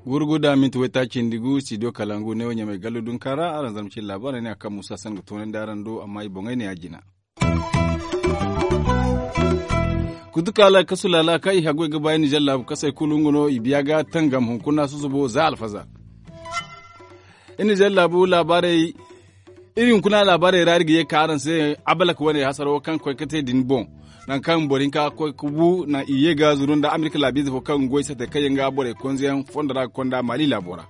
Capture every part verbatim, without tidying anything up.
Guuru guda minti waytaaci nda gu studio kalangu ne wo ɲamay gallu dunka ra araŋ zama cine laabaarey ne a kaŋ muusa san ga toonandi araŋ do amma i boŋey ne a jina. Kutukaala kasu laala kaŋ i haggoy ga ba iri nizer laabu kasey kulu nga no i biya ga tangam hunkuna susubo za alfazar. Iri nizer laabu laabaarey iri hunkuna laabaarey ra iri ga ye ga ka araŋ se abalak wane hasaro kaŋ koy ga te din boŋ. Nangu kaŋ boro hinka ga koy ga bu naŋ i ye ga zuru nda amerika laabiize fo kaŋ ga goy sate kaŋ yaŋ ga borey konzeyaŋ fondo ra ga konda maali laabo ra.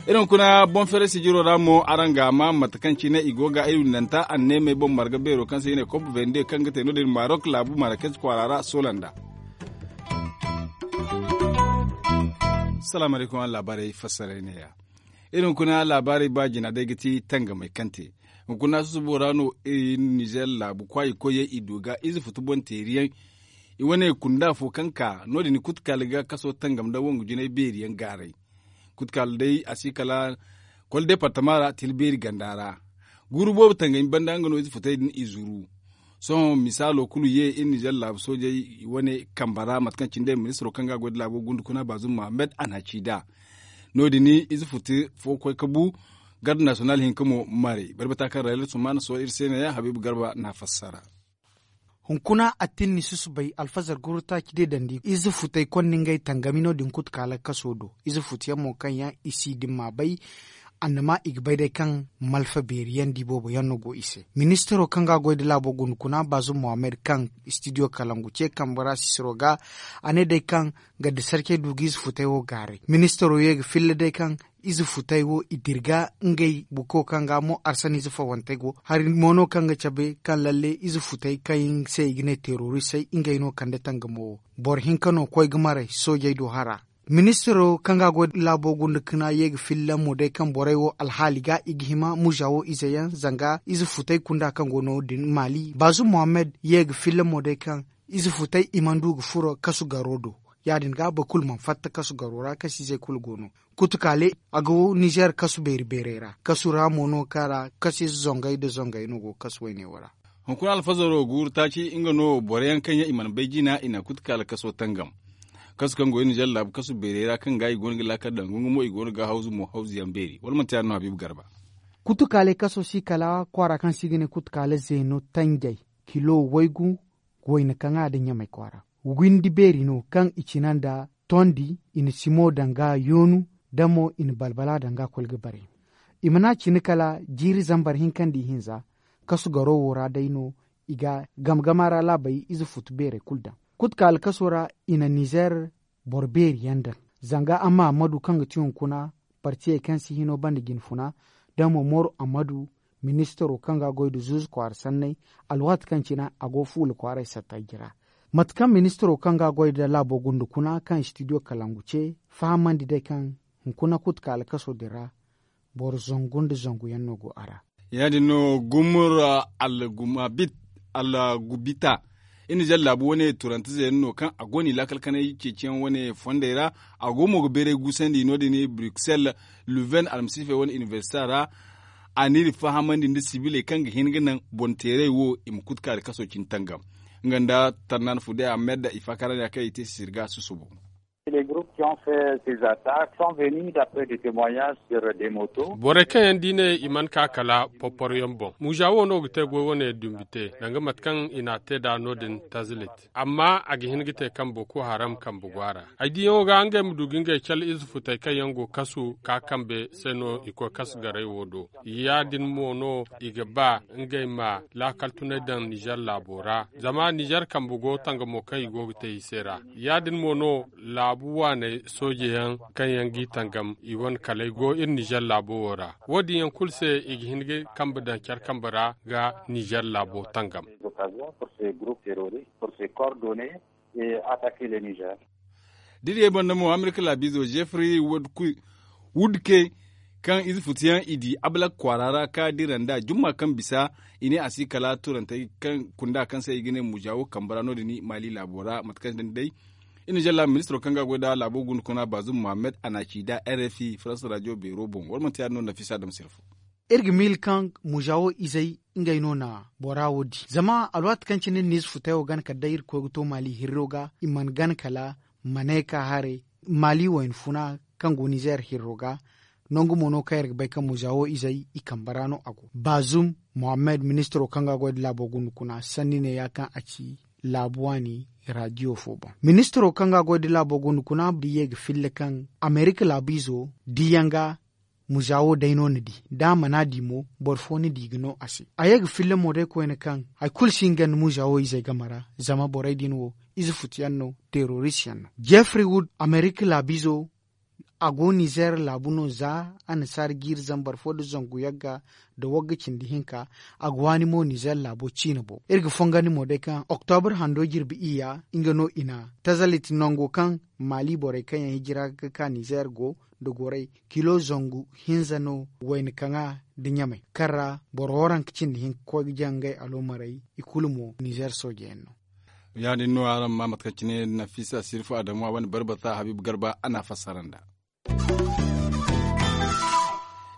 Iri hunkuna boŋ feeray sijiro ra mo araŋ ga a ma mate kaŋ cine i go ga ay windanta anneemey boŋ marga beero kaŋ se i ne kop vende kaŋ ga te no- din marok laabu marakez kwaara ra soola nda. Salaamu alaykum araŋ laabaarey fassaray neeya. Iri hunkuna laabaarey ba jina day ga ti tangamey kaŋ te hunkuna susubo ra no iri nizer laabu kwaayi koyyaŋ i du ga ize futu boŋ teeriyaŋ. I wane kunda fo kaŋ ka no- din kutukaali ga kaso tangam nda wangu jinay beeri yaŋ gaaray. Kutukaali day a si kala kol departama ra tila beeri ganda ra. Guuru boobo tangami banda nga no ize futey din i zuru. Sohõ misaalo kulu ye iri nizer laabu soojey wane kambe ra mate kaŋ cine day ministiro kaŋ ga a goy nda laabo gundu kuna baazum mohammed a na a ci nd'a. No- din ize futu fo koy ga bu garde nasiyonal hinka mo maray barbata kaŋ rayla sumaana sohõ iri se neeya habiibu garba na a fassara. Hunkuna attinni susubay alfazar guru taaci day dandi ize futey konda ngey tangami no- din kutukaala kaso do. Ize futuyaŋ mo kaŋ yaŋ i si din ma bay annama i ga bay day kaŋ malfa beeri yaŋ di boobo yaŋ no go i se. Ministiro kaŋ ga a goy nda laabo guna kuna baazum mohammed kaŋ studio kalangu ce kambe ra sisiro ga a ne day kaŋ gadda sarcey du ga ize futey wo gaaray ministiro ye ga filla day kaŋ ize futey wo i dira ga ngey buko kaŋ ga mo arsaniize fawantey go hari mo no kaŋ ga cabe kaŋ lalle ize futey kaŋ se i ga ne teroristey ngey no kande tangamo wo. Boro hinka no koy ga maray soojey do hara. Ministiro kaŋ ga a goy laabo gunda kana ye ga filla mo day kaŋ borey wo alhaali ga i ga hima muza wo ize yaŋ zanga ize futey kunda kaŋ go no- din maali baazum mohammed ye ga filla mo day kaŋ ize futey i mana du ga furo kasu garo do. Ya- din ga boro kulu mana fatta kasu garo ra kasu izey kulu go no. Kutukaale a ga wo nizer kasu beeri beerey ra kasu ra mo no kaŋ ra kasu ize zongey nda zongey no go ga kasu wayne wo ra. Hunkuna alfazaro guuru taaci nga no boro yaŋ kaŋ yaŋ i mana bay jina i na kutukaale kaso tangam. Kasu kaŋ go iri nizer laabu kasu beerey ra kaŋ ga i go no ga laakal daŋ gungu mo i go no ga hawzu mo hawzu yaŋ beeri wala manti ya- din no habiibu garba. Kutukaale kaso si kala kwaara kaŋ se i ga ne kutukaale zeeno tanjay kilo waygu wayna kaŋ a da ɲamay kwaara. Windi beeri no kaŋ i cina nda tondi i na simo daŋ ga yoonu da mo i na balbala daŋ ga koy ga bare. I mana cina kala jiiri zambar hinka nda ihinza kasu garo wo ra day no i ga gama gama ra laabey ize futu beerey kulu daŋ. Kutukaale kaso ra i na nizer boro beeri yaŋ daŋ zanga amma ammadu kaŋ ga ti hunkuna partiyey kaŋ si hino banda jinfuna da mo moru ammadu ministiro kaŋ ga a goy nda zuuzu kwaara sanney alwaati kaŋ cine a go fuula kwaaray satta jira. Mate kaŋ ministiro kaŋ ga a goy nda laabo gunda kuna kaŋ studio kalangu ce fahamandi day kaŋ hunkuna kutukaale kaso din ra boro zangu nda zangu yaŋ no go a ra. Ya- din no gumur algumabit algubita iri nizer laabu wane turante zeene no kaŋ a go no i laakal kanay ceeciyaŋ wane fondey ra. A go mo ga beeray guusandi no- din bruxelles luven almasiifey wane inibersita ra. A n'iri fahamandi nda sibiley kaŋ ga hin ga naŋ boŋ teeray wo i ma kutukaale kaso cine tangam. Nga nda tarnan fude ahmed i faakara ne a kaŋ i te sisiri ga susubo. Borey kaŋ yaŋ da i ne i mana ka kala porporo yaŋ boŋ muuza wo no ga te goy wane dumbi te danga mate kaŋ i n'a te nd'a no- din tazilit. Amma a ga hin ga te kaŋ boko haram kambe go a ra ay diyaŋo ga ngey ma du ga ngey cala ize futey kaŋ yaŋ go kasu ka kambe se no i koy kasu garay wo do. Ya- din mo no i ga ba ngey ma laakal tunay daŋ nizer laabo ra zama nizer kambe go tangamo kaŋ i go ga te i se ra. Ya- din mo no laabu waaney sooje yaŋ kaŋ yaŋ g'i tangam i wane kaley go iri nizer laabo wo ra. Wo- din yaŋ kulu se i ga hin ga kambe daŋ care kambe ra ga nizer laabo tangam. Da iri ye banda mo amerika laabiizo jeffrey wudke kaŋ ize futu yaŋ i di abalak kwaara ra ka dira nd'a jumma kaŋ bisa i ne a si kala turantey kaŋ kunda kaŋ se i ga ne mujawo kambe ra no- din maali laabo ra mate kaŋ day. Iri na jalla ministiro kaŋ ga a goy nda laabo guna kuna baazum muhammad a na a ci nda r f i faransa radio beero boŋ wala manti ya- din no nafisa dam sirfo. Iri ga miila kaŋ muzawo izey ngey no na bora wo di zama alwaati kaŋ cine ni na ize futay wo gana kala day iri ga koy ga to maali hirro ga i mana gana kala maneka haray maali wayna funa kaŋ go nizeer hirro ga. Nangu mo no kaŋ iri ga bay kaŋ muzawo izey i kambe ra no a go baazum muhammad ministiro kaŋ ga a goy nda laabo guna kuna sanni ne ya kaŋ a ci laabu waani radiyo fo boŋ. Ministiro kaŋ ga a goy nda laabo guna kuna da i ye ga filla kaŋ amerika laabu izo diyaŋ ga muzawo day no ni di da a mana di mo boro fo ni di ga no a se a ye ga filla mo day koyne kaŋ hari kulu si hin ga ni muzawo izey game ra. Zama borey din wo ize futu yaŋ no terorist yaŋ no jeffrey wood amerika laabu izo a go nizeer laabu no za annasaara jiiri zambar fo nda zangu yagga nda wagga cindi hinka. A ga waani mo nizeer laabo ciine boŋ iri ga fongandi mo day kaŋ oktobre hando jirbi iyya nga no i na tazalit nango kaŋ maali borey kaŋ yaŋ hijira ga ka nizeer go nda gorey kilo zangu hinza no wayna kaŋa nda ɲamay kaŋ ra boro waranka cindi hinka koy ga jaŋ ngey aloomarey i kulu mo nizeer sooje yaŋ no. Ya- din no araŋ ma mate kaŋ cine nafisa sirfu adamu a wane barbata habiibu garba a n'a fassara nd'a.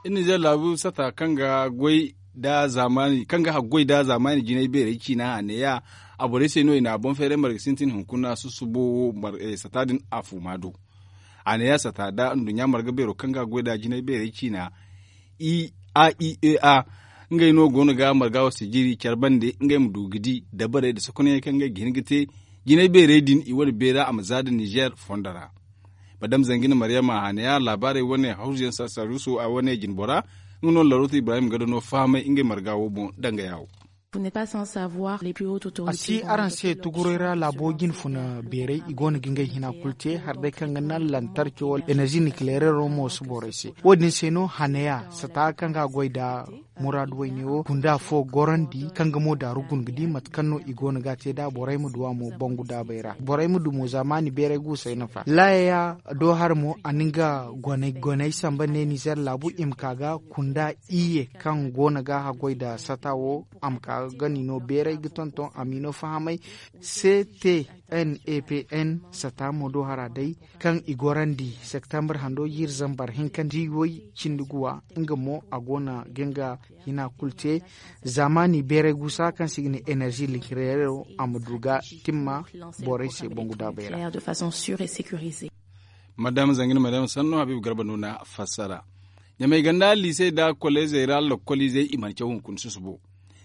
Iri nizeer laabu sata kaŋ ga goy nda zaamaani kaŋ ga haggoy nda zaamaani jinay beerey ciina a neeya a borey se no i na a boŋ feeray marga sintin hunkuna susubo wo sata din a fuuma do. A neeya sata nda nduɲɲa marga beero kaŋ ga goy nda jinay beerey ciina i a i e a ngey no go no ga marga wo sijiri care bande ngey ma du ga di dabarey nda sokonyaŋey kaŋ ngey ga hin ga te jinay beerey din i wane beera a ma za nda nizeer fondo ra. Madame zangina maryama haneya laabaarey wane hawzuyaŋ sarsaruso a wane jinbora nga no larooto ibrahim ga dano fahamay ngey marga wo boŋ danga yaawo. A si araŋ se tuguray ra laabo jinfuna beeray i go no ga ngey hina kulu te hari day kaŋ ga naŋ lantarco wala enerzi nikileerero mo si borey se. Wo- din se no haneya sata kaŋ ga a goy nda muraadu wayne wo gunda fo gorandi kaŋ ga mo daaru guna ga di mate kaŋ no i go no ga a te nd'a borey ma du a mo bangu daabey ra borey ma du mo zaamaani beeray guusey nafa laaya do hara mo a na nga goney goney samba ne nizeer laabu i ma ka ga kunda iyye kaŋ go no ga haggoy nda sata wo a ma ka ga gani no beeray ga tonton a m'i no fahamay. C T N E P N sata mo do hara day kaŋ i gorandi septembre hando jiiri zambar hinka nda i way cindi guwa nga mo a go no ga nga hina kulu te. Zaamaani beeray guusa kaŋ se i ga ne enerzi likirero a ma du ga timma borey se bangu daabey ra. Madama zangina madama sanno habiibu garba no na fassara. Ɲamay ganda liisey nda koleezey ra lokoliizey i mana caw hunkuna susubo.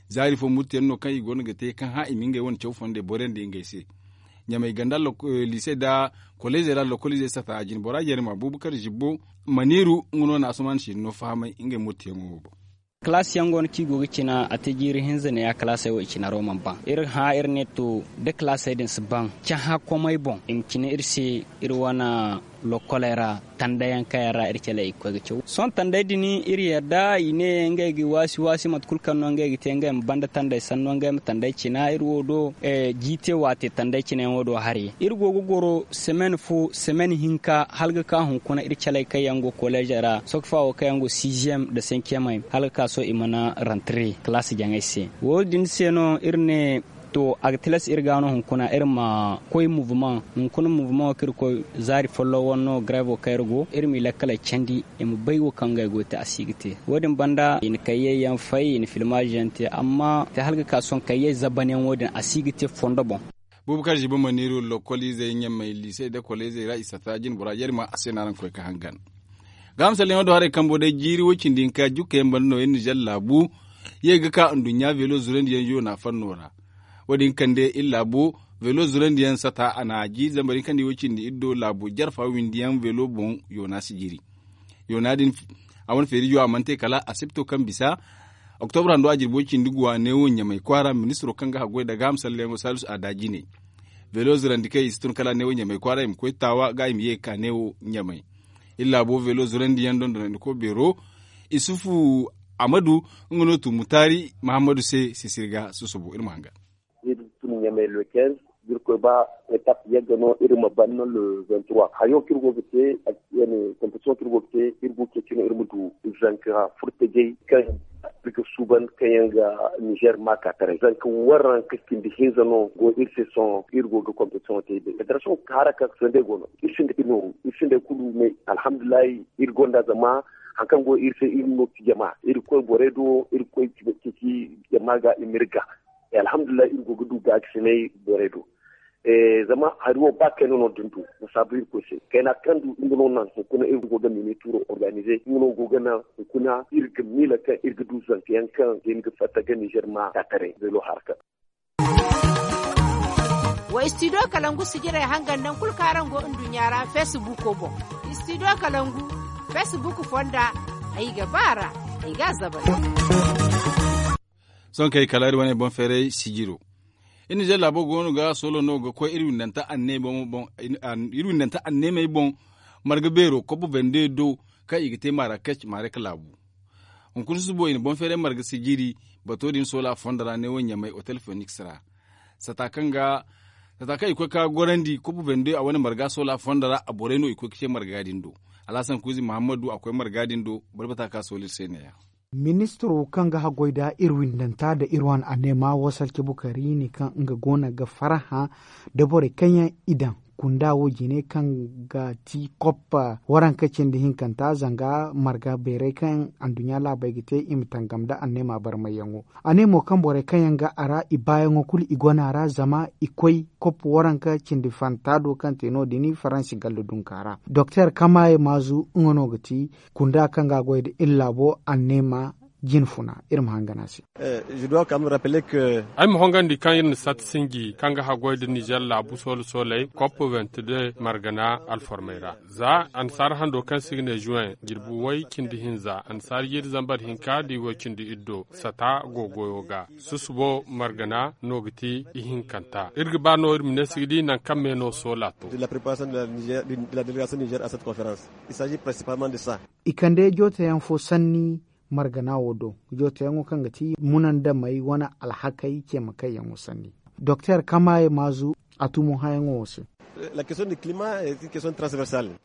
Zaari fo murtiyaŋ no kaŋ i go no ga te kaŋ hã i ma ngey wane caw fondey borandi ngey se. Ɲamay ganda liisey nda koleezey ra lokoliizey sata jinbora jarima buubakar zibbo maniiru nga no na asuman siino fahamay ngey murtiyaŋo wo boŋ. Kalaasiyaŋ go no kaŋ i go ga cina a te jiiri hinza ne ya kalaasey wo i cina ro mana ban iri hã iri ne to da kalaasey din si ban cahã komey boŋ i ma cina iri se iri wane lokkoley ra tandayaŋ kaŋ yaŋ ra iri caley i ga koy ga caw sohõ tanday din iri yadda i ne ngey ga waasi waasi mate kulu kaŋ no ngey ga te ngey ma banda tanday sanno ngey ma tanday cina iri wo do. Jiite waate tanday cinayaŋo do hari iri go ga goro semen fo semen hinka hala ga ka hunkuna iri caley kaŋ yaŋ go koleezey ra sokfa wo kaŋ yaŋ go siiziyem nda senkiyemey hala ga ka sohõ i mana rantare kalaasi jaŋey se. Wo- din se no iri ne to a ga tilas iri ga no hunkuna iri ma koy muvumaŋ hunkuna muvumaŋo kaŋ iri koy zaari folloŋ wane no gareevo kaŋ iri go iri m'i lakkaley candi i ma bay wo kaŋ ngey go ga te a si ga te. Wo- din banda i na kayyey yaŋ fay i na filmaazi yaŋ te amma te hala ga ka sohõ kayyey zabanyaŋo din a si ga te fondo boŋ. Buubu kaŋ ziba maniiru lokoliizey ɲamey liisey nda koleezey ra i sata jinbora jarima a se no araŋ ga koy ga hangan. Ga misalyaŋo do haray kambo day jiiri woy cindi hinka jukka yaŋ banda no iri nizer laabu ye ga ka nduɲɲa veelo zurandiyaŋ yoona fanno ra. Wo- din kande iri laabo veelo zurandiyaŋ sata a na a jiiri zambar hinka nda iway cindi iri do laabo jarfa windiyaŋ veelo boŋ yoona si jiiri. Yoona din a wane feerijo a mana te kala asipto kaŋ bisa oktobre hando a jirbi way cindi guwa neewo ɲamay kwaara ministiro kaŋ ga haggoy nda gaaham salleyaŋo salisu a da jine. Veelo zirandi kaŋ i si tun kala a ne wo ɲamay kwaara i ma koy taawa ga i ma ye ga ka ne wo ɲamay. Iri laabo veelo zirandi yaŋ dondonandiko beero isufu amadu nga no tumu taari mahammadu se sisirga susubu iri ma hanga. Iri tun ɲamay le quinze, iri koy ba etap yagga no iri ma ban no le vingt trois hayo kaŋ iri go ga te. Competition kaŋ iri go ga te iri go ga ceeci no iri ma du zanka furtajey kaŋ Iri ga suuban kaŋ yaŋ ga nizer maaka taray zanka waranka cindi hinza no go iri se sohõ iri go ga kompetisiyoŋo te i bay federasiyoŋ ka hara kaŋ sandey go no. Iri sinda iri nooru iri sinda kulu ne alhamdulillahi. Iri gonda zama hari kaŋ go iri se iri no ti jama iri koy borey do iri koy ceeci jama ga i ma iri ga. Alhamdulillahi iri go ga du gaakasinay borey do. Zama hari wo ba kayna no da ni du. Masaabu irkoy se kayna kaŋ du nga no naŋ hunkuna iri go ga mini tuuro organize nga no go ga naŋ hunkuna iri ga miila kaŋ iri ga du zanka yaŋ kaŋ ga hin ga fatta ga nizer ma taataray beelo haraka. Wa istidiyo kalangu sijirey hangan nangu kulu kaŋ araŋ go nduɲɲa ra feesibuuko boŋ. Istidiyo kalangu feesibuuko fonda. Ay ga ba a ra ay ga a zabari. Sohõ kay kala iri wane boŋ feeray sijiro. Iri nizer laabo goono ga soolo no ga koy iri windanta anneemey boŋ marga beero kopp vende do kaŋ i ga te marakec maarek laabu. Hunkuna susubo i na boŋ feeray marga sijiri bato din soola fondo ra neewo ɲamay otel feniks ra. Sata kaŋ i koy ka gorandi kopp vende a wane marga soola fondo ra a borey no i koy ga te marga din do. Alhasan kuuzi muhammadu a koy marga din do. Barbata ka sooli iri se ne- ya. Ministiro kaŋ ga haggoy nda iri windanta nda iri wane anneema wasalce bukari ne kaŋ nga goono ga farhã nda borey kaŋ yaŋ i daŋ kunda wo jine kaŋ ga ti koppa waranka cindi hinkanta zanga marga beerey kaŋ anduɲɲa laabey ga te i ma tangam nda anneema barmayyaŋo. A ne mo kaŋ borey kaŋ yaŋ ga a ra i baayaŋo kulu i gona ra zama i koy koppa waranka cindi fanta do kaŋ te no- din faransi galla dunka ra. Doktor kamaye maazu nga no ga ti kunda kaŋ ga a goy nda iri laabo anneema jinfuna. Iri ma hangan a se. Ay ma hongandi kaŋ iri na sat sinji kaŋ ga haggoy nda nizer laabu soolo sooley kopp ventide margana alformey ra. Za annasaara hando kaŋ se i ga ne juwen jirbi way cindi hinza annasaara jiiri zambar hinka da i way cindi iddo sata go goyo ga. Susubo margana no ga ti ihinkanta iri ga ba no iri ma ne si ga di nangu kaŋ me no soola to. I kande jooteyaŋ fo sanni margana wo do jooteyaŋo kaŋ ga ti munandamey wane alhakey ceemakayyaŋo sanni. Doktor kamaye maazu a tumo hayaŋo wo se.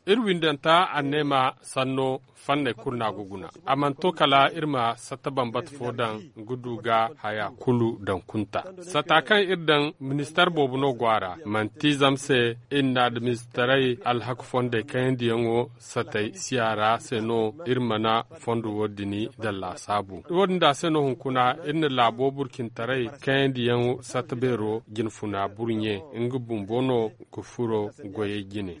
Iri windanta anneema sanno fanney kulu no a ga guna. A mana to kala iri ma satta bambata fo daŋ ga du ga haya kulu daŋ kunta. Sata kaŋ iri daŋ ministar boobo no go a ra manti zama se iri na administarey alhaku fondey kayandiyaŋo satay siya ra se no iri mana fondo wo- din daŋ laasaabu. Wo- din da se no hunkuna iri na laabo burcintaray kayandiyaŋo satta beero jinfuna burɲe nga bumbo no ga furo goyey jine.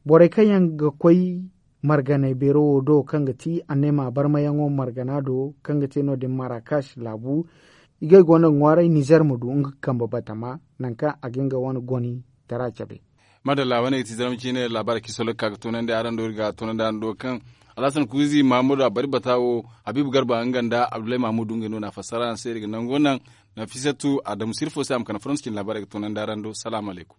Borey kaŋ yaŋ ga koy marganay beero wo do kaŋ ga ti anneema barmayaŋo margana do kaŋ ga te no- din marakash laabu. Igay go no ga ŋwaaray nizer ma du nga kambe batama nangu kaŋ a ga nga wane goni tara cabe. Madalla wane ga ti zarma ciine laabaari kaŋ i soolay ga ka ga toonandi araŋ do iri ga toonandi araŋ do kaŋ alhasan kuuzi mahamudu a bari bata wo habiibu garba nga nda abdullahi mahamudu ngey no na a fassara araŋ se iri ga nango naŋ. Nafisatu adamu sirfo se a ma kana faransi cine laabaari ga toonandi araŋ do salaamu alaykum.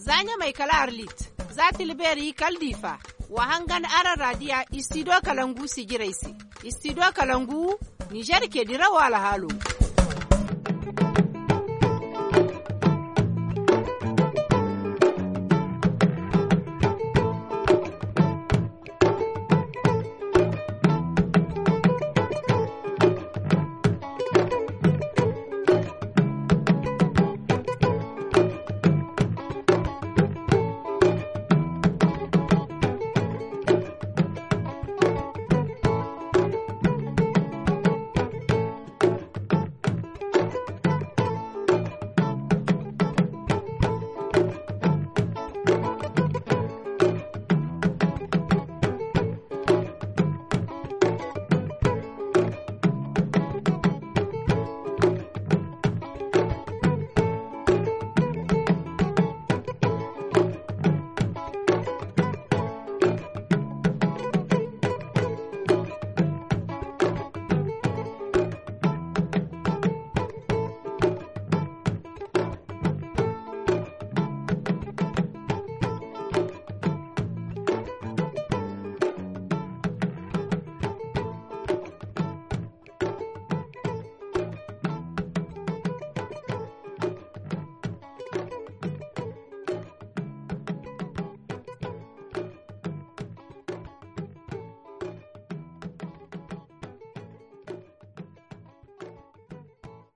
Za ɲamay kala arlit, za tilbeeri kala diifa. Wa hangan araŋ raadiya istidiyo kalangu sijirey se. Istidiyo kalangu nizer ke dirawo alhaalo.